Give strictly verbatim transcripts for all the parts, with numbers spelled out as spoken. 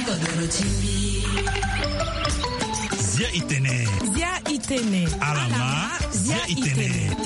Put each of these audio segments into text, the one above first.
Zia itene. Zia itene. Alama. Zia itene.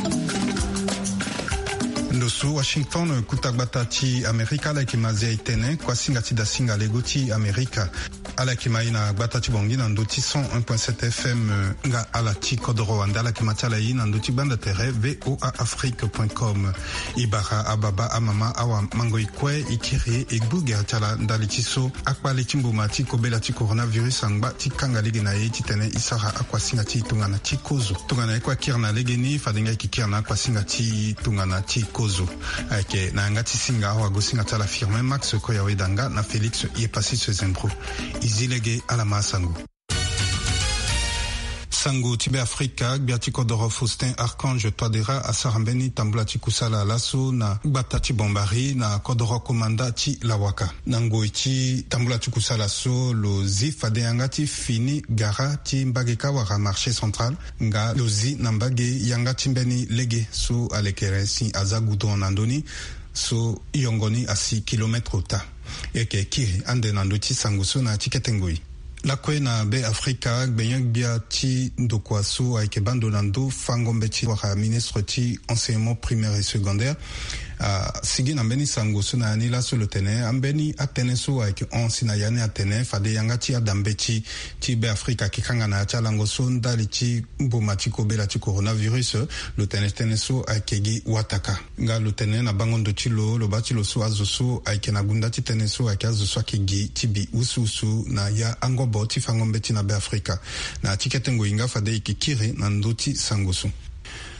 Ndo so Washington, kuta gbata ti Amerika, ala yeke ma Zia itene, kuasinga ti dasinga lego ti Amerika. Ala yeke ma e na gbata ti Bangui na ndo ti cent un point sept F M, nga ala ti kodoro wande, ala yeke ma ti ala e na ndo ti gbanda tere V O A Afrique point com. E bara ababa, amama, awamango, e kue, e kiri, e gbu gere ti ala ndali ti so akpale ti mboma ti kobela ti coronavirus angba ti kanga lege na e titene e sara akuasinga ti tongana ti kozo. Tongana e kue akiri na legeni, fade nga e yeke kiri na akuasinga ti tongana ti kozo. Ayeke na yanga ti singa awagosinga ti ala Firmin Max Koyaweda nga na Félix Yepassis Zembro. E zi lege, ala ma asango. Sango ti Beafrika. Gbia ti kodoro Faustin Archange Touadéra asara mbeni tambula ti kusala laso na gbata ti Bambari na kodoro Komanda ti Lawaka. Na ngoi ti tambula ti kusala so, lo zi fade yanga ti fini gara ti mbage kâ wala marché central, nga lo zi na mbage yanga ti mbeni lege so alekere si aza goudron na ndö ni, so yongo ni asi kilomètre ota. E yeke kiri ande na ndö ti sango so na ya ti kete ngoi. Lakue na Beafrika, gbenyo-gbia ti ndokua so ayeke baa ndo na ndö fango mbeti wala ministre ti enseignement primaire et secondaire asigi na mbeni sango so na ya ni laso, lo tene ambeni atënë so ayeke hon si na ya ni atene fade yanga ti ada mbeti ti Beafrika ayeke kanga na ya ti alango so ndali ti mboma ti kobela ti coronavirus. Lo tene tënë so ayeke gi wataka. Nga lo tene na bango ndo ti lo, lo baa ti lo so azo so ayeke na gunda ti tënë so ayeke azo so ayeke gi ti bi wusuwusu na ya angobo ti fango mbeti na Beafrika. Na ya ti kete ngoi nga fade e yeke kiri na ndö ti sango so.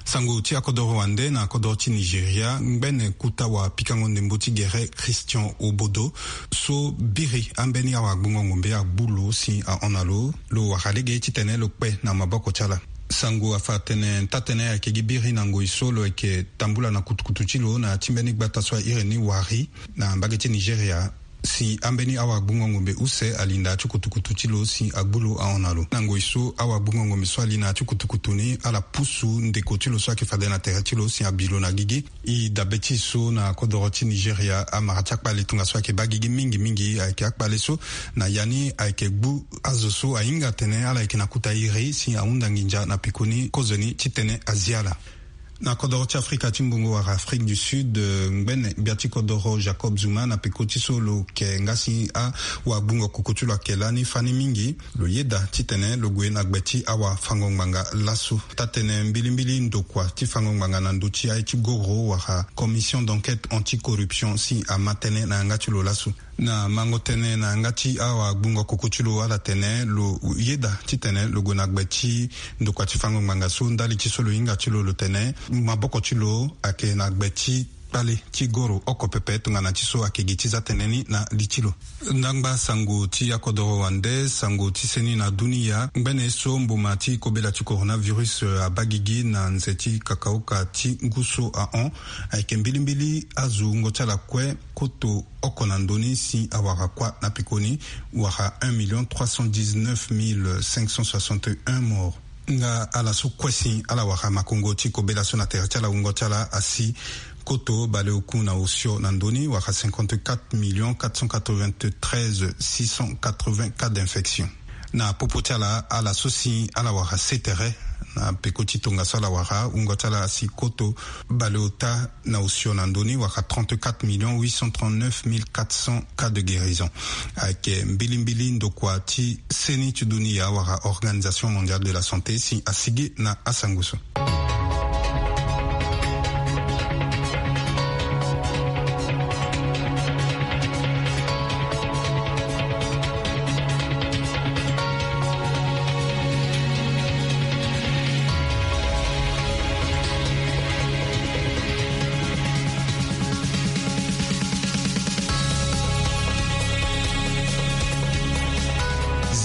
Sango ti akodoro wande na akodoro ti Nigeria, ngbene kuta wapikango ndembo ti gere Christian Obodo so biri ambeni awagbungo ngombe agbu lo si ahon na lo, lo wara lege titene lo kpe na maboko ti ala. Sango afa atene taa-tënë ayeke gi biri na ngoi so lo yeke tambula na kutukutu ti lo na ya ti mbeni gbata so a iri ni Warri na mbage ti Nigeria, si ambeni awagbungo ngombe use ali na ya ti kutukutu ti lo si agbu lo ahon na lo. Na ngoi so awagbungo ngombe so ali na ya ti kutukutu ni ala pusu ndeko ti lo so ayeke fade na tere ti lo si abi lo na gigi. E dabe ti e so na kodoro ti Nigeria, amara ti akpale tongaso ayeke baa gigi mingi mingi ayeke akpale so na ya ni ayeke gbu azo so ahinga atene ala yeke na kota iri si ahunda nginza na pekoni kozoni titene azi ala. Na kodoro ti Afrika ti mbongo wala Afrique du Sud, eh, ngbene gbia ti kodoro Jacob Zuma na peko ti so lo ke nga si awagbungo koko ti lo ayeke lani fani mingi, lo yeda titene lo gue na gbe ti awafango ngbanga laso. Taa-tënë mbilimbili ndokua ti fango ngbanga na ndö ti aye ti goro wala commission d'enquête anti-corruption si ama tënë na yanga ti lo laso. Na mango tënë na yanga ti awagbungo koko ti lo, ala tene lo yeda titene lo gue na gbe ti ndokua ti fango ngbanga so ndali ti so lo hinga ti lo, lo tene maboko ti lo ayeke na gbe ti kpale ti goro oko pepe tongana ti so ayeke gi ti za tënë ni na li ti lo. Ndangba sango ti akodoro wande, sango ti seni na dunia, ngbene so mboma ti kobela ti coronavirus, eh, abaa gigi na nze ti kakaoka ti ngu so ahon, ayeke mbilimbili azo wungo ti ala kue koto oko na ndö ni si awara kuâ na pekoni, wara un million trois cent dix-neuf mille cinq cent soixante et un morts. Nga ala so kue si ala wara makongo ti kobela so na tere ti ala wungo ti ala asi koto baleoku na osio na ndö ni, wara cinquante-quatre millions quatre cent quatre-vingt-treize six cent quatre-vingts cas d'infection. Na popo ti ala, ala so si ala wara se tere na peko ti tongaso ala wara, wungo ti ala asi koto baleota na osio na ndö ni, wara trente-quatre millions huit cent trente-neuf mille quatre cents cas de guérison. Ayeke mbilimbili ndokua ti seni ti dunia wala Organisation Mondiale de la Santé si asigi na asango so.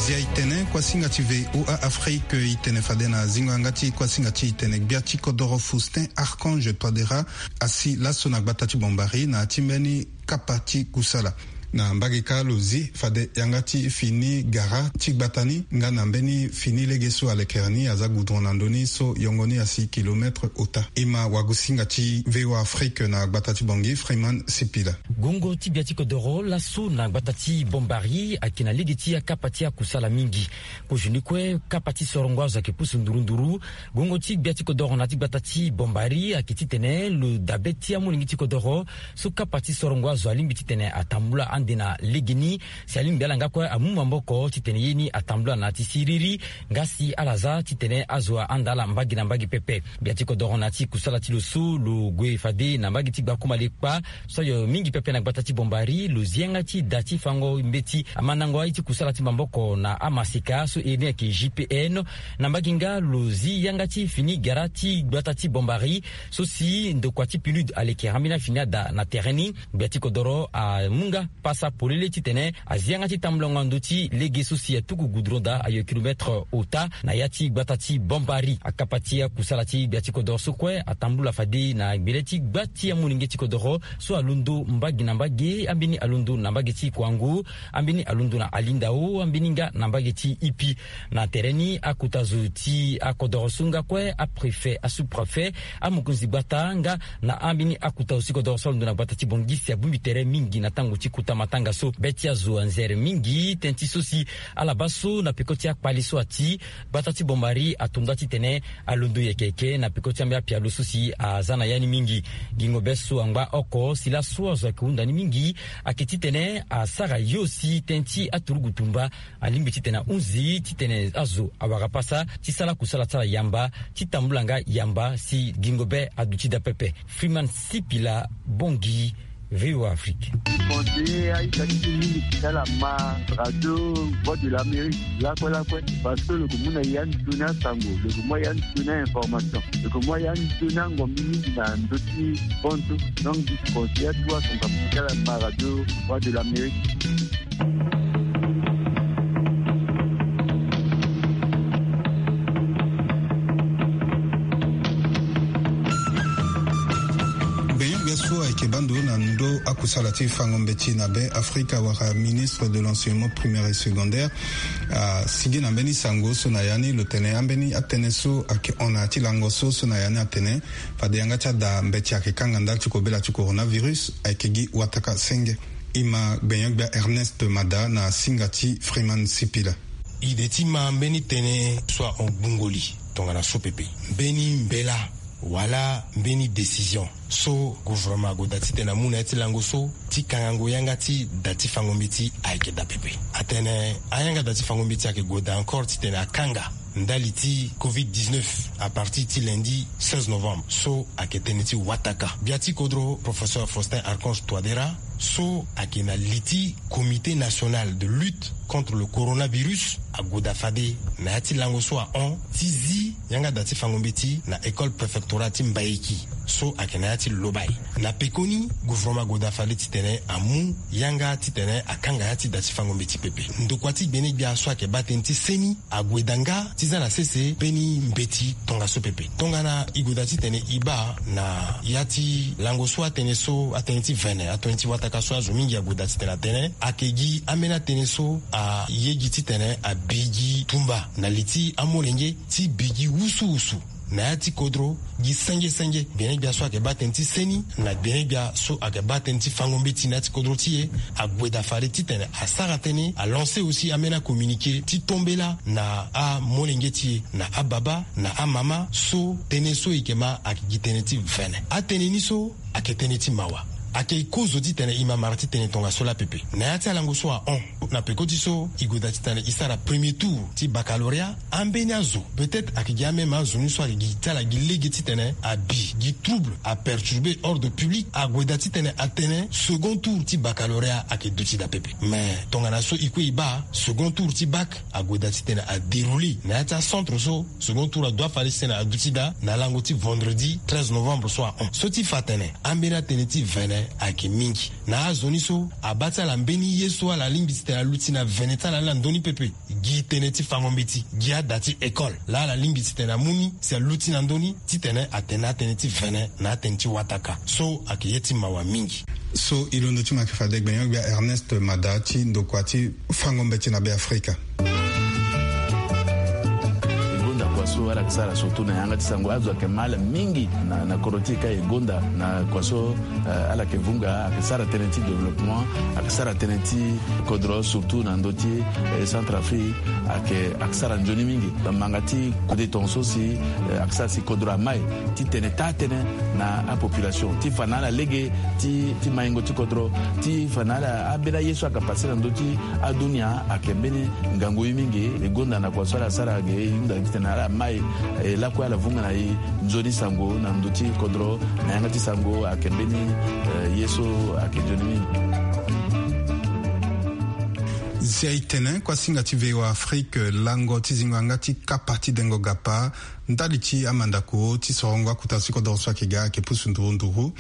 Zia itene, kuasinga ti V O A Afrique, itene fade na zingo yanga ti kuasinga ti itene. Gbia ti kodoro Faustin Archange Touadéra asi laso na gbata ti Bambari na ya ti mbeni kapa ti kusala. Na mbage kâ lo zi fade yanga ti fini gara ti gbata ni nga na mbeni fini lege so alekere ni aza goudron na ndö ni so yongo ni asi kilometre ota. E ma wagosinga ti VOA Afrique na gbata ti Bangui, Freeman Sipila. Gongo ti gbia ti kodoro laso na gbata ti Bombari ayeke na lege ti akapa ti akusala mingi. Kozoni ni kue kapa ti sorongo azo ayeke pusu nduru nduru. Gongo ti gbia ti kodoro na ti gbata ti Bombari ayeke titene lo dabe ti amolenge ti kodoro so kapa ti sorongo azo alingbi titene atambula ande na legeni. Si alingbi ala nga kue amu maboko titene ye ni atambula na ya ti siriri. Nga si ala za titene azo ahanda ala mbage na mbage pepe. Gbia ti kodoro na ya ti kusala ti lo so lo gue fade na mbage ti Gbakumalekpa so ayo mingi pepe na gbata ti Bombari, lo zi yanga ti da ti fango mbeti amandango aye ti kusala ti maboko na amaseka so iri ni ayeke G P N. Na mbage nga lo zi yanga ti fini gara ti gbata ti Bombari so si ndokua ti PNUD alekere ambeni afini ada na tere ni. Gbia ti kodoro amu nga pasa polele titene azi yanga ti tambulango na ndö ti lege so si atuku goudron daa ayo kilometre ota na ya ti gbata ti Bombari. Akapa ti akusala ti gbia ti kodoro so kue atambula fade na gbele ti gba ti amolenge ti kodoro so alondo mbage na mbage, ambeni alondo na mbage ti Koango, ambeni alondo na Alindao, ambeni nga na mbage ti Ipi. Na tere ni akota zo ti akodoro so nga kue, apréfet, asous-préfet, amokonzi gbata nga na ambeni akota zo ti kodoro so alondo na gbata ti Bangui si abongbi tere mingi na tango ti kota matanga so. Be ti azo anzere mingi tënë ti so si ala baa so na peko ti akpali so ati gbata ti Bombari ato nda titene alondo yeke yeke na peko ti ambeni apialo so si aza na ya ni mingi. Gingo be so angba oko si laso azo ayeke hunda ni mingi ayeke titene asara yo si tënë ti aturugu tumba alingbi titene ahunzi titene azo awara pasa ti sara kusala ti ala yamba ti tambula nga yamba si gingo be aduti daa pepe. Freeman Sipila, Bangui, VOA Afrique. Conseiller aita ti ti mingi ti ala ma radio Voix de l'Amérique lakue lakue, parce que lo yeke mu na ya ni sioni asango, lo yeke mu ya ni sioni information, lo yeke mu ya ni sioni angombi mingi na ndö ti pontu. Donc, conseiller aturugu asango ti ala ma radio Voix de l'Amérique. Gbenyo-gbia so ayeke baa ndo na ndö akusala ti fango mbeti na be Afrika wala ministre de l'enseignement primaire et secondaire asigi na mbeni sango so na ya ni lo tene ambeni atënë so ayeke hon na ya ti lango so so na ya ni atene fade yanga ti ada mbeti ayeke kanga ndali ti kobela ti coronavirus ayeke gi wataka senge. E ma gbenyo-gbia Ernest Mada na singa ti Freeman Sipila. Ide ti ma mbeni tënë so ahon gbungo li tongana so pepe. Mbeni mbela wala mbeni décision so gouvernement ague daa titene amu na ya ti lango so ti kangango yanga ti da ti fango mbeti ayeke daa pepe. Atene ayanga da ti fango mbeti ayeke gue daa encore titene akanga ndali ti covid dix-neuf à partir ti lundi seize novembre so ayeke tënë ti wataka. Gbia ti kodro, professeur Faustin Archange Touadéra, so ayeke na li ti Comité national de lutte contre le coronavirus, ague daa fade na ya ti lango so ahon ti zi yanga da ti fango mbeti na école préfectorale ti Mbaïki so ayeke na ya ti Lobaye. Na pekoni, gouvernement ague daa fade titene amu yanga titene akanga ya ti da ti fango mbeti pepe. Ndokua ti gbene-gbia so ayeke baa tënë ti seni ague daa nga ti za na sese mbeni mbeti tongaso pepe. Tongana e gue daa titene e baa na ya ti lango so atënë so, atënë ti vene, atënë ti wataka so azo mingi ague daa titene atene, ayeke gi ambeni atënë so aye gi titene abi gi tumba na li ti amolenge ti bi gi wusuwusu na ya ti kodro gi senge senge. Gbene-gbia so ayeke baa tënë ti seni na gbene-gbia so ayeke baa tënë ti fango mbeti na ya ti kodro ti e ague daa fade titene asara tënë, alancer aussi ambeni acommuniqué ti tombela na amolenge ti e, na ababa, na amama so tënë so e yeke ma ayeke gi tënë ti vene. Atënë ni so ayeke tënë ti mawa. Ayeke kozo titene e ma mara ti tene tongaso laa pepe. Na ya ti alango so ahon, na peko ti so e gue daa titene e sara premier tour ti baccalauréat, ambeni azo, peut-être ayeke gi ameme azo ni so ayeke gi ti ala gi lege titene abi gi trouble, aperturber ordre public, ague daa titene atene second tour ti baccalauréat ayeke duti daa pepe. Mais tongana so e kue e baa, second tour ti bac ague daa titene adérouler na ya ti acentre so second tour adoit fade titene aduti daa na lango ti vendredi treize novembre so ahon. So ti fa atene ambeni atënë ti vene ayeke mingi. Na azo ni so abaa ti ala mbeni ye so ala lingbi titene aluti na vene ti ala ni na ndö ni pepe. gi tënë ti fango mbeti, gi ada ti école laa ala lingbi titene amu ni si aluti na ndö ni, titene atene atënë ti vene na atënë ti wataka. So ayeke ye ti mawa mingi. So e londo ti mo ayeke fade gbenyo-gbia Ernest Mada ti ndokua ti fango mbeti na Beafrika. E gonda kua so ala yeke sara surtout na yanga ti sango, azo ayeke ma ala mingi na, na kodro ti e ka e gonda na kua so, eh, ala yeke vunga, ayeke sara tënë ti développement, ayeke sara tënë ti kodro surtout na ndö ti, eh, Centrafrique, ayeke, ayeke sara nzoni mingi. Manga ti kode tongaso si, eh, ayeke sara si kodro amai titene taa tënë na apopulation ti fa na ala lege ti, ti maingo ti kodro, ti fa na ala ambeni aye so ayeke pase na ndö ti adunia ayeke mbeni ngangu ye mingi. E gonda na kua so ala sara ge e hunda titene ala mai, eh, lakue ala vunga na e nzoni sango na ndö ti kodro na yanga ti sango ayeke mbeni, eh, ye so ayeke nzoni mingi. Zia e tene kuasinga ti V O A Afrique lango ti zingo yanga ti kapa ti dengo gapa ndali ti amandako ti sorongo akuta ti kodoro so ayeke ga ayeke pusu nduru nduru.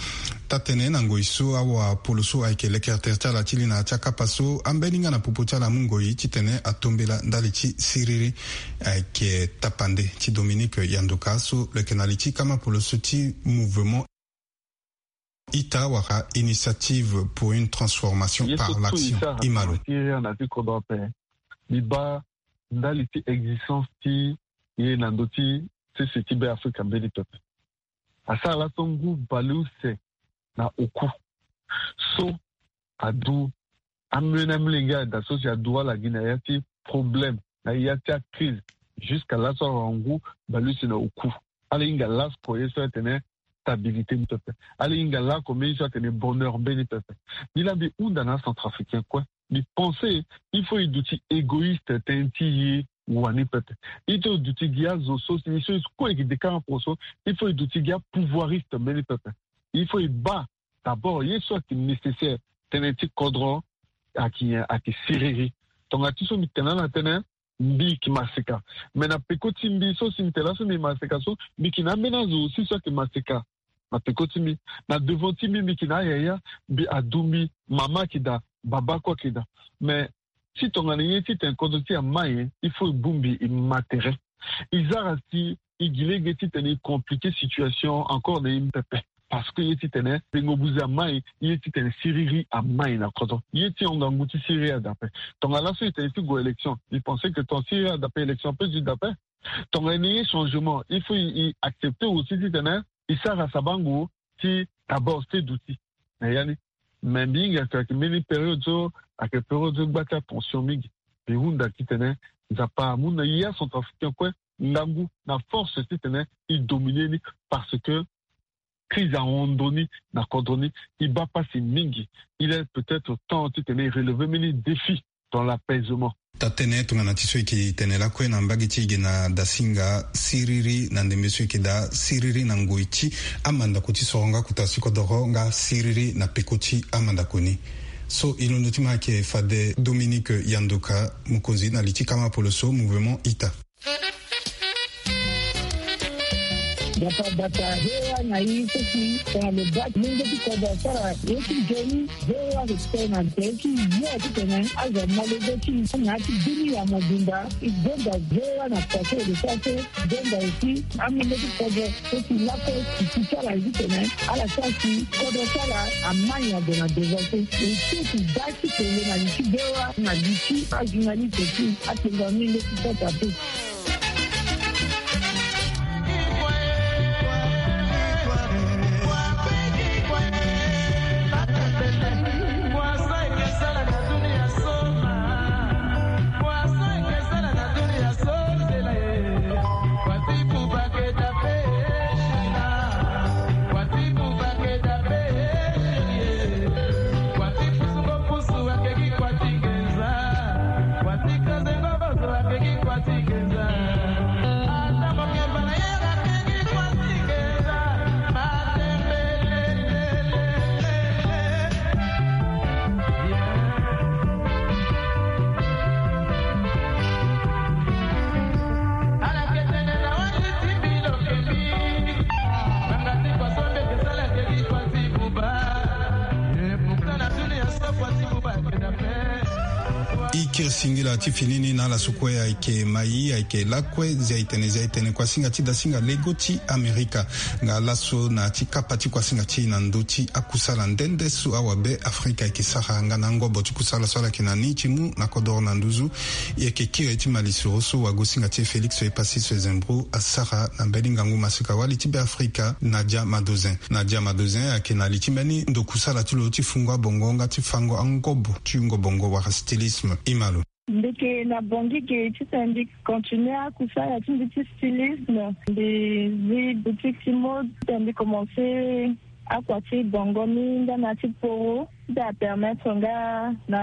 Taa-tënë na ngoi so awapolo so ayeke lekere tere ti ala ti li na ya ti akapa so ambeni nga na popo ti ala amu ngoi titene atombela ndali ti siriri ayeke tapande ti Dominique Yanduka so lo yeke na li ti kamapolo so ti mouvement ita wala Initiative pour une transformation par l'action. Ye so tu i sara na siriri na ti kodro ape, mbi baa ndali ti existence ti e na ndö ti sese ti Beafrika mbeni pepe. Asara laso ngu baleuse na oku so adu amolenge, amolenge ada so si adu ala gi na ya ti problème, na ya ti acrise, jusqu'à laso awara ngu baleuse na oku. Ala hinga laso ye so atene stabilité ni pepe. Ala hinga lako mbeni so atene bonheur mbeni pepe. Mbi laa mbi hunda na acentrafricain kue. Mbi pense il faut e duti égoïste tënë ti e wani pepe. Il faut e duti gi azo so si e so e kue e gi de kara poko so, il faut e duti gi apouvoiriste mbeni pepe. Il faut e baa d'abord ye so ayeke nécessaire tënë ti kodro ayeke nyen? Ayeke siriri. Tongana ti so mbi tene ala tënë, mbi yeke maseka. Me na peko ti mbi so si mbi tene laso mbi maseka so, mbi yeke na ambeni azo aussi so ayeke maseka. Na peko ti mbi, na devant ti mbi, mbi yeke na ayaya, mbi adu mbi, mama ayeke daa, baba kue ayeke daa. Me si tongana ye titene kodro ti e amai, il faut e bongbi e ma tere. E sara si e gi lege titene e compliquer situation encore na e pepe. Parce que ye titene dengo buze amai, ye titene siriri amai na kodro. Ye ti hon ngangu ti siriri adape. Tongana laso e tene ti gue élection, e pense que tongana siriri adape, élection ape ti dape. Tongana e ne ye changement, il faut e, e accepter aussi titene e sara sabango ti d'abord se duti na ya ni. Me mbi hinga si ayeke mbeni période so ayeke période so gba ti atension mingi. Mbi hunda titene Nzapa amu na e acentrafricain kue ngangu na force titene e dominer ni, parce que crise ahon ndo ni na kodro ni. E baa pasi mingi. Il est peut-être temps titene e relever mbeni défi dans l'apaisement. Taa-tënë tongana ti so e yeke tene lakue na mbage ti e ge na dasinga siriri na ndembe so e yeke daa siriri na ngoi ti amandako ti sorongo akuta ti kodoro nga siriri na peko ti amandako ni. So e londo ti mo ayeke fade Dominique Yanduka, mokonzi na li ti kamapolo so mouvement ita. Bata bata, V O A na e so si tongana lo baa ti mungo ti kodro asara ye ti nzoni. V O A respect na tere ti ye titene azo amolenge ti na ya ti bini ya mobimba. E gonda V O A na kua so e lo sara so, gonda aussi amungo ti kodro so si lakue ti ti ti ala titene ala sara si kodro ti ala amai ade na devant so. E so ti baa ti tene na li ti V O A na li ti ajournaliste ti atengo amingo ti kota pe. I kiri singila ti fini ni na ala so kue ayeke mai, ayeke lakue, zia itene zia itene kuasinga ti dasinga lego ti Amerika. Nga laso na ti kapa ti kuasinga ti na ndö ti akusala nde nde so awabe Afrika ayeke sara nga na angobo ti kusala so ala yeke na ni ti mu na kodoro na nduzu. E yeke kiri ti malisoro so wagosinga ti e Félix Epassy Sezembro asara na mbeni ngangu masika wali ti Beafrika, Nadia Madozin. Nadia Madozin ayeke na li ti mbeni ndo kusala ti lo ti fungo abongo nga ti fango angobo ti wungo bongo wala stylisme. I ma lo. Mbi yeke na Bangui ge titene mbi continue akusala ti mbi ti stylisme. Mbi zi boutique ti mode titene mbi commence akua ti bongo ni nga na ti poro ti apermettre nga na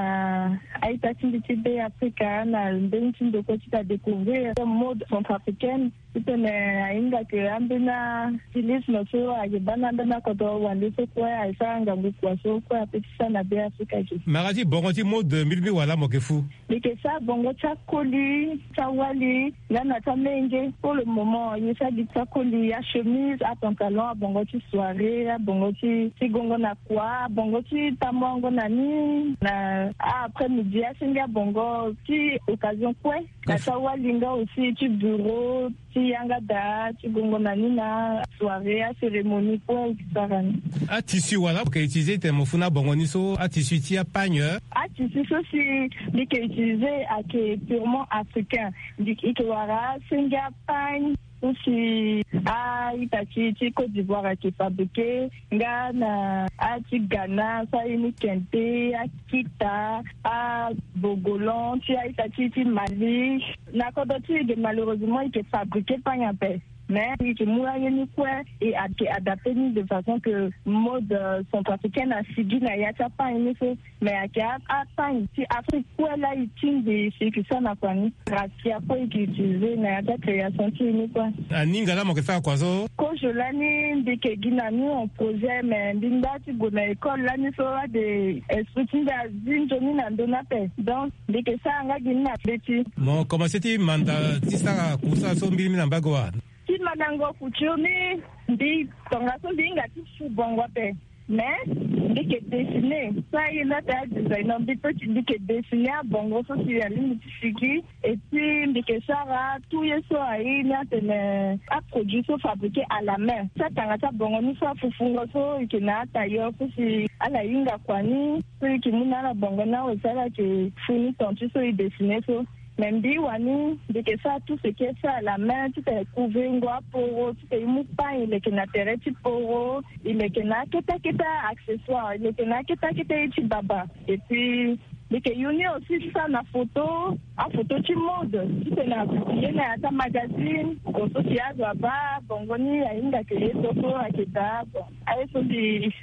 a-ita ti mbi ti Beafrika na mbeni ti ndo kue ti adécouvrir mode centrafricaine. Titene ahinga ke ambeni astylisme so ayeke baa na ambeni akodro wande so kue ayeke sara ngangu kua so kue ape ti sara na Beafrika ge. Mara ti bongo ti mode mbi lingbi wala mo yeke fu? Mbi yeke sara bongo ti akoli, ti awali nga na ti amenge. Pour le moment mbi sara gi ti akoli, achemise, apantalon, abongo ti soirée, abongo ti ti gongo na kua, abongo ti tamongo na ni na a-après-midi, asenge abongo ti occasion kue. Na ti awali nga aussi ti bureau, ti yanga daa, ti gongo na ni na soirée, acérémonie kue e sara ni. Atissu wala mo yeke utiliser titene mo fu na abongo ni so, atissu ti apagne? Atissu so si mbi yeke utiliser ayeke purement africain. Mbi yeke wara asenge apagne so si a-ita ti ti Côte d'Ivoire ayeke fabriquer, nga na a ti Ghana so aye ni kente, akita, abogolan ti a-ita ti ti Mali. Na kodro ti e ge malheureusement e yeke fabriquer pagne ape. Mais e yeke mu aye ni kue e yeke adapter ni de façon que mode, euh, centrafricaine asigi na ya ti apagne ni so. Mais ayeke a-, apagne ti Afrique kue laa e tingbi si e yeke sara na kua ni. Raffia kue e yeke utiliser na ya ti acréation ti e ni kue. Aninga laa mo yeke sara kua so? Kozo lani mbi yeke gi na ni en projet, mais mbi ngba ti gue na école lani so ade esprit ti mbi azi nzoni na ndö ni ape. Donc mbi yeke sara nga gi ni na mbeti. Mo commencer ti manda ti sara kusala so mbirimbi na mbage wa? Ti mandango couture ni, mbi tongaso mbi hinga ti fu bongo ape. Mais mbi yeke dessiner so aye ni ate adesigner, mbi peut ti mbi yeke dessiner abongo so si alingbi ti sigi. Et puis mbi yeke sara tout ye so aye ni atene aproduit so fabriquer à la main. Ti atanga ti abongo ni so afufungo so e yeke na atailleur so si ala hinga kua ni so e yeke mu na ala bongo ni awe si ala yeke fu ni ton ti so e dessiner so. Mais mbi wani mbi yeke sara tout ce qui est fait à la main titene couvrir ngo aporo, titene e mu pagne e leke na tere ti poro, e leke na akete akete accessoire, e leke na akete akete ye ti baba. Et puis mbi yeke yu ni aussi ti sara na photo, aphoto ti mode titene a publier na ya ti amagazine. Bon so si azo abaa bongo ni ahinga ke ye so so ayeke daa. Bon aye so mbi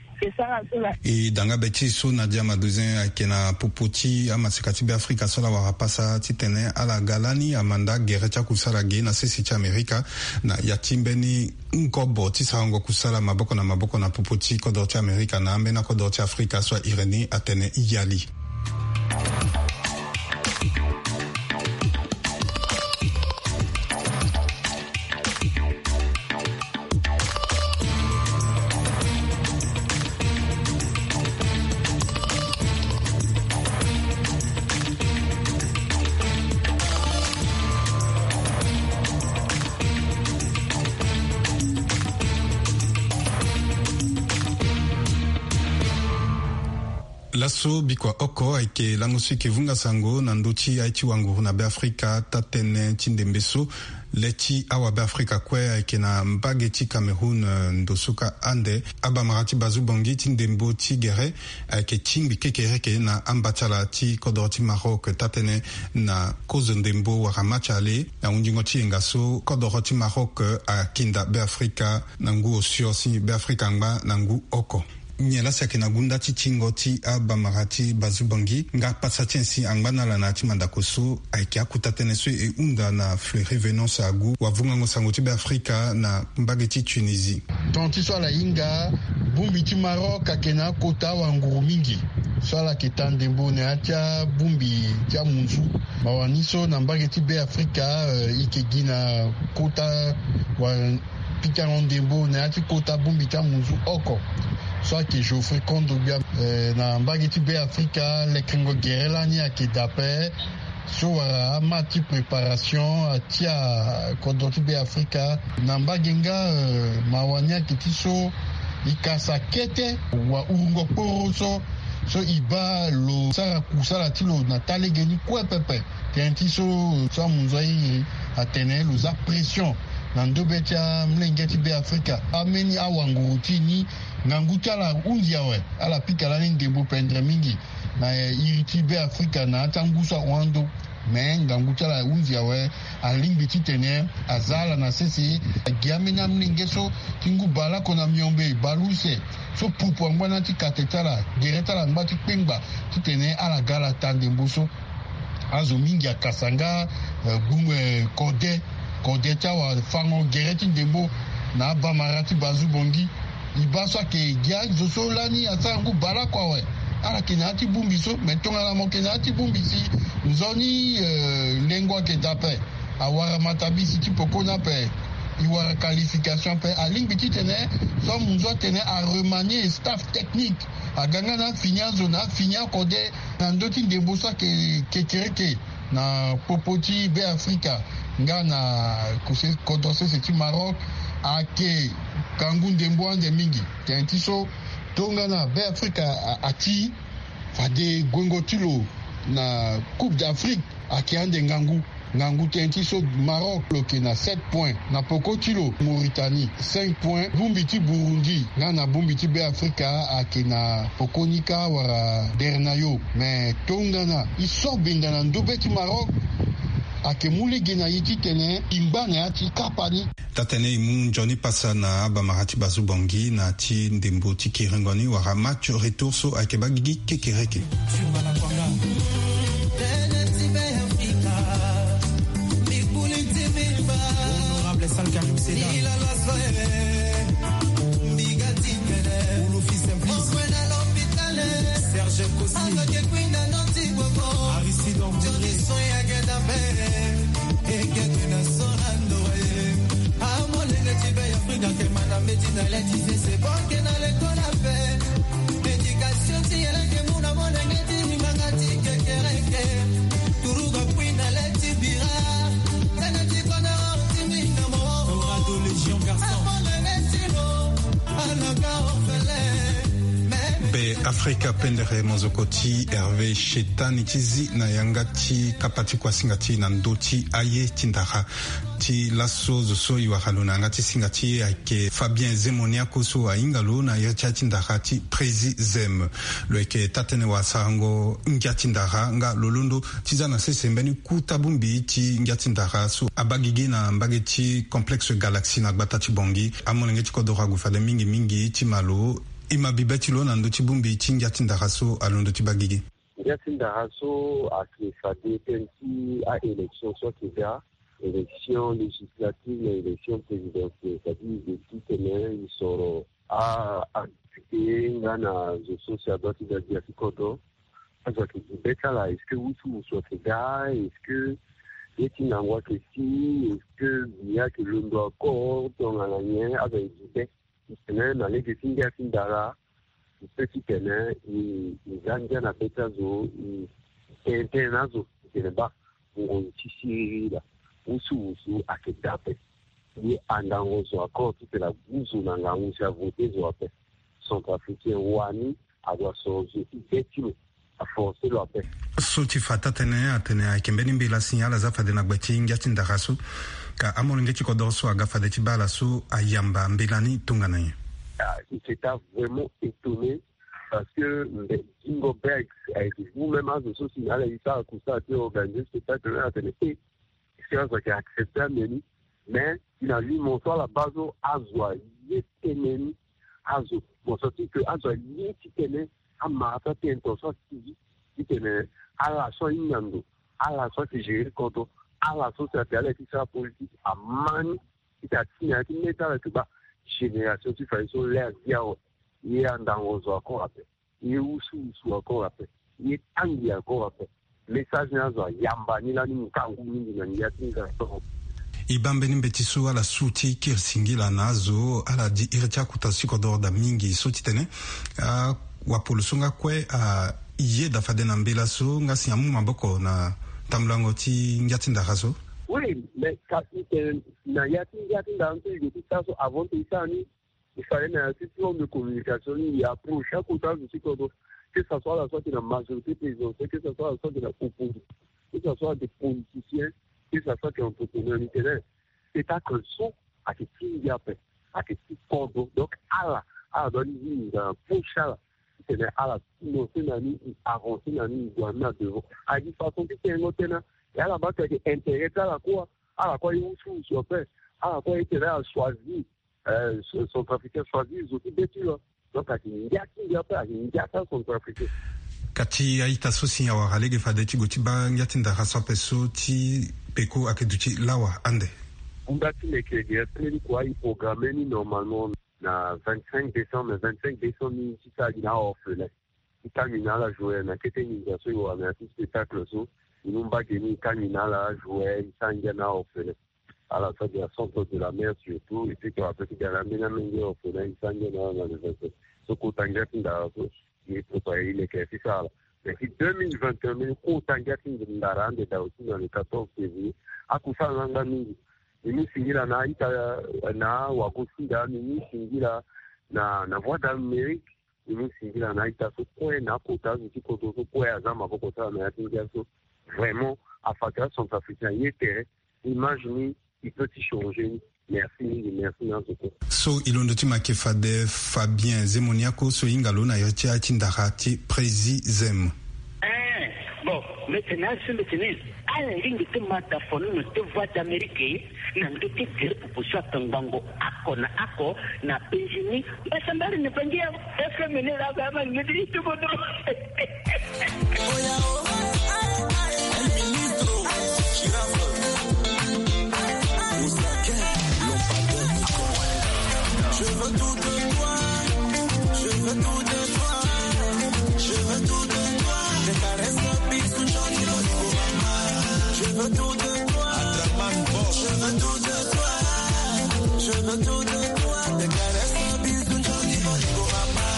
E da nga be ti so Nadia Madozin ayeke na popo ti amaseka ti Beafrika so ala wara pasa titene ala ga lani amanda gere ti akusala ge na sese ti Amerika na ya ti mbeni ngobo ti sarango kusala maboko na maboko na popo ti kodro ti Amerika na ambeni akodro ti Afrika so ahiri ni atene yali. Laso bikua oko ayeke lango so e yeke vunga sango na ndö ti aye ti wanguru na Beafrika taa-tënë ti ndembe so. Le ti awabeafrika kue ayeke na mbage ti Cameroun, eh, ndo so ka ande abamara ti bazu-bongi ti ndembo ti gere ayeke tingbi kekereke na ambatala ti kodoro ti Maroc taa-tënë na kozo ndembo wala match aller na hundingo ti yenga so kodoro ti Maroc akinda Beafrika na ngu osio si Beafrika angba na ngu oko. Nyen laa si ayeke na gunda ti tingo ti abamara ti bazu-bongi nga pasa ti nyen si angba na ala na ya ti mandako so? Ayeke akota tënë so e hunda na Fleury Venance Agu, wavungango sango ti Beafrika na mbage ti Tunisie. Ton ti so ala hinga, bongbi ti Maroc ayeke na akota wanguru mingi so ala yeke taa ndembo na ya ti abongbi ti amunzu. Mawa ni so na mbage ti Beafrika, eh, e yeke gi na kota wa pikango ndembo na ya ti kota bongbi ti amunzu oko. So ayeke Geoffrey Kondo gbia, eh, na mbage ti Be Afrika, lekengo gere lani ayeke daa ape. So wala amatch ti préparation atia kodro ti Be Afrika na mbage nga, eh, mawa ni ayeke ti so e kasa kete wa urungo kporo so, so e baa lo sara kusala ti lo na taa lege ni kue pepe. Tënë ti so, so amunzu airi atene lo za pression na ndobe ti amolenge ti Be Afrika. Ambeni awanguru ti e ni, ngangu ti ala hunzi awe. Ala pika lani ndembo pendre mingi na, eh, iri ti Be Afrika na ya ti angu so ahon ando. Me ngangu ti ala hunzi awe, alingbi titene aza ala na sese. Agi ambeni amolenge so ti ngu baleoko na miombe, baleuse, so pupu angba na ya ti kate ti ala, gere ti ala angba ti kpengba titene ala ga ala taa ndembo so. Azo mingi akasa nga, eh, gbu, eh, kode, kode ti awafango gere ti ndembo na abamara ti Bazu Bongi. E baa so ayeke gi azo so lani asara ngu baleoko awe. Ala yeke na ya ti bongbi so, me tongana mo yeke na ya ti bongbi si nzoni, eh, lengo ayeke daa ape. Awara matabisi ti poko ni ape. E wara qualification ape. Alingbi titene so amunzu atene aremanier staff technique. Aga nga na afini azo na afini akode na ndö ti ndembo so ayeke kekereke na popo ti Be Afrika nga na kuse kodro sese ti Maroc. Ayeke kangu ndembo ande mingi. Tënë ti so tongana Be Afrika a, ati, fade guengo ti lo na Coupe d'Afrique ayeke ande ngangu. Ngangu tënë ti so Maroc lo yeke na sept points, na poko ti lo Mauritanie cinq points, bongbi ti Burundi nga na bongbi ti Be Afrika ayeke na poko ni kâ wala dernayo. Me tongana e so benda na ndobe ti Maroc, ayeke mu lege na e titene e ngba na ya ti kapa ni. Taa-tënë e mu nzoni pasa na abamara ti Bazu Bongi na ti ndembo ti kiringo ni wala match retour so ayeke baa gigi kekereke. Honorable Sal Karim Seda, Olofi Simplice, Serge Kosi, Aristide André. Ekeke na so na ndoye. Amolenge ti Be Afrika ke mana mbeti na leti sese boke na lekola pe. Éducation ti yeleke muna molenge ti mimanga ti kekereke. Turuga kui na leti bira. Tene ti kona ti minda mo. Torado Légion Garçon. Amolenge ti lo. Alaka ofele. Be Afrika pendere mozoko ti Hervé Shetani ti zi na yanga ti kapa ti kuasinga ti na ndö ti aye ti ndara. Ti laso zo so e wara lo na yanga ti singa ti e ayeke Fabien Zemoniako so ahinga lo na iri ti aye ti ndara ti Prési Zem. Lo yeke taa-tënë wasarango ngia ti ndara nga lo londo ti za na sese mbeni kuta bongbi ti ngia ti ndara so abaa gigi na mbage ti Complexe Galaxie na gbata ti Bongi. Amolenge ti kodoro ague fade mingi mingi ti ma lo. E ma bibe ti lo na ndö ti bongbi ti ngia ti ndara so alondo ti baa gigi. Ngia ti ndara so ayeke fade tënë ti a-élection so ayeke ga, élection législative na élection présidentielle, c'est-à-dire e titene e soro a, adéputé nga na zo so si adua ti ga ngia ti kodro. Azo ayeke gi be ti ala, est-ce que wusuwusu ayeke ga, est-ce que ye ti ngangu ayeke si, est-ce que biya ayeke londo encore, tongana nyen? Azo ayeke gi be. Titene na lege ti ngia ti ndara, e peut titene e, e za ngia na be ti azo, e tene tënë na azo titene baa ngonzi ti siriri laa, wusuwusu ayeke daa ape. Ye andango zo encore titene agu zo na ngangu si avote zo ape. Centrafricain wani ague asoro zo ti be ti lo, aforce lo ape. So ti fa taa-tënë atene ayeke mbeni mbela si ala za fade na gbe ti ngia ti ndara so. Ka amolenge ti kodoro so aga fade ti baa ala so ayamba mbela ni tongana nyen? Ah, il s'est vraiment étonné parce que mbe Zingo Bergs ayeke vous-même azo so si na ala e sara kusala ti organiser spectacle ni atene e, est-ce que azo ayeke accepter ande ni? Mais si na lui mo so ala baa so azo aye tënë ni, azo mo senti ke azo aye titene amara so atene tongaso asigi titene ala so ahinga ndo, ala so ayeke gérer kodro, ala so si atene ala ye ti sara politique ama ni titene atinga ya ti mê ti ala yeke baa génération ti fa ye so lê azi awe. Ye andango zo encore ape. Ye wusuwusu encore ape. Ye tangi encore ape. Message ni azo ayamba ni lani ngangu mingi na ngia ti ngangu. E baa mbeni mbeti so ala su ti kiri singila na azo, ala di iri ti akota so ti kodoro daa mingi so ti tene, ah, wapolo so nga kue, ah, e yeda fade na mbela so nga si amu maboko na tambulango ti ngia ti ndara so. Oui, mais kasi tene na ya ti ngia ti ndara so e zo ti sara so avant ti e sara ni, il fallait na ya ti plan de communication ni, e approche akota azo ti kodro, que ça soit ala so ayeke na majorité présidentielle, que ça soit ala so ayeke na opposition, que ça soit des politiciens, que ça soit des entrepreneurs, ni tene spectacle so ayeke ti ngia ape, ayeke ti kodro. Donc ala, ala doit ni zi na poche ala ti tene ala financer na ni, e avancer na ni, e gue na ni na devant. Ayeke façon ti tengo tënë. E ala baa tene ayeke intérêt ti ala kue, ala kue aye wusuwusu ape. Ala kue aye tene ala choisir, euh, Centrafricain, choisir zo ti be ti lo. Donc ayeke ngia ti ngia ape, ayeke ngia ti aCentrafricain. Kati a-ita so si awara lege fade ti gue ti baa ngia ti ndara so ape so ti peko ayeke duti lawa ande. Ngia ti leke gere ti mbeni kua e programme ni normalement na vingt-cinq décembre, mais vingt-cinq décembre ni ti sara gi na aorphelin. E kangbi na ala joueur na kete nginza so e wara na ya ti spectacle so. E mu mbage ni e kangbi na ala joueur, e sara ngia na aorphelin. Ala so ayeke na centre de la mer surtout, et puis to ape ti ga na ambeni amenge orphelin, e sara ngia na ala na le vingt-cinq. So kota ngia ti ndara so e préparer e leke ti sara ala. Mais ti deux mille vingt et un mbeni kota ngia ti ndara ande daa aussi na le quatorze février. Akusala ni angba mingi. E mu singila na a-ita, na wagosinga, e mu singila na, na Voix d'Amérique. E mu singila na a-ita so kue, na akota azo ti kodro so kue aza maboko ti ala na ya ti ngia so. Vraiment afa tene aCentrafricain aye tere. Image ni e peut ti changer ni. Merci mingi, merci na azo kue. So e londo ti make fade Fabien Zemoniako so e hinga lo na iri ti a-ita ti ndara ti Prési Zem. Eh, bon, mbi tene asi mbi tene ala lingbi ti ma da fono na ti Voix d'Amérique na ndö ti gere popo so atongbango oko na oko na Benjini. Mbasambari na bangi ya F M ni la ba ma ni mbi ti bodo. Je veux tout de toi, je veux tout de toi, je veux tout de toi. Des caresses, bisous, jolis mots pour maman. Je veux tout de toi, je veux tout de toi, je veux tout de toi. Des caresses, bisous, jolis mots pour maman.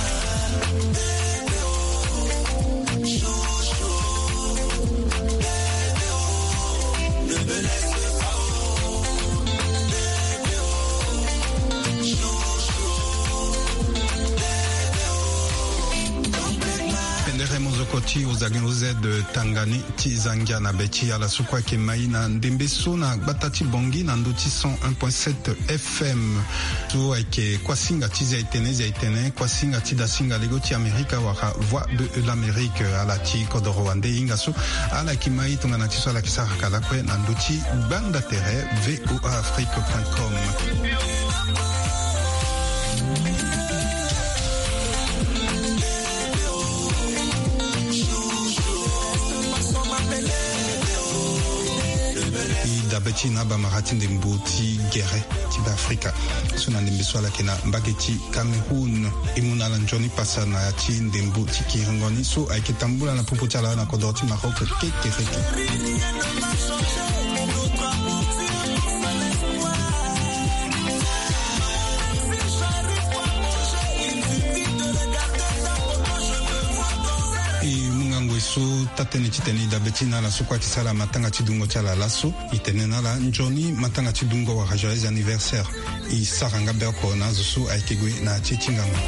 Pendere mozoko ti Ozagin O Z Tangani ti Zangia na be ti ala so kue ayeke mai na ndembe so na gbata ti Bangui na ndö ti cent un point sept F M. So ayeke kuasinga ti Zaitene, Zaitene, kuasinga ti dasinga lego ti Amerika wala Voix de l'Amérique. Ala ti kodoro wande e hinga so ala yeke mai tongana ti so ala yeke sara ka lakue na ndö ti gbanda tere V O A Afrique point com. E dabe ti e na abamara ti ndembo ti gere ti Beafrika so na ndembe so ala yeke na mbage ti Cameroun. E mu na ala nzoni pasa na ya ti ndembo ti kiringo ni so ayeke tambula na popo ti ala na kodoro ti Maroc kekereke. E mu ngangu e so taa-tënë titene e dabe ti e na ala so kue ayeke sara matanga ti dungo ti ala laso. E tene na ala nzoni matanga ti dungo wala joyeux anniversaire. E sara nga be oko na azo so ayeke gue na ya ti e ti ngangu.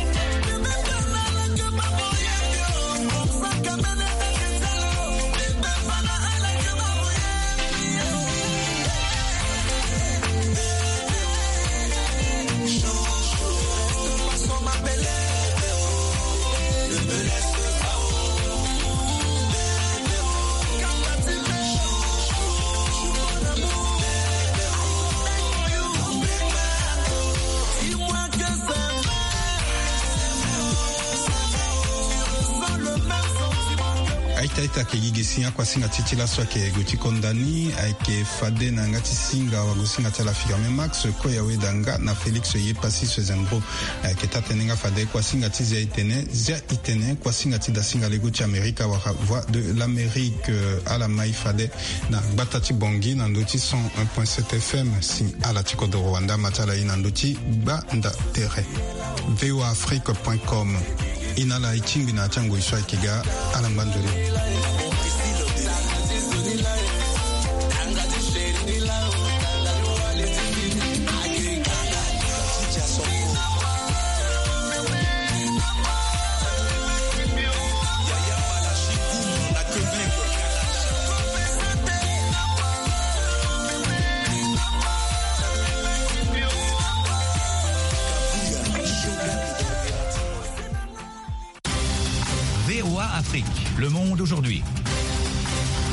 Ayeke gi gi si akuasinga ti ti laso ayeke gue ti konda ni, ayeke fade na yanga ti singa wagosinga ti ala Firmin Max, koya weda nga na Félix Yepassis Sezembro. Ayeke taa tënë nga fade kuasinga ti Zia Itene, Zia Itene kuasinga ti dasinga lego ti Amerika wala Voix de l'Amérique. Ala mai fade na gbata ti Bangui na ndö ti cent un point sept F M. Si ala ti kodoro wanda ma ti ala ye na ndö ti gbanda tere. V O A Afrique point com. E na ala e tingbi na ya ti angoi so ayeke ga. Ala ngba nzoni. V O A Afrique, le monde aujourd'hui.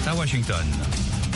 À Washington.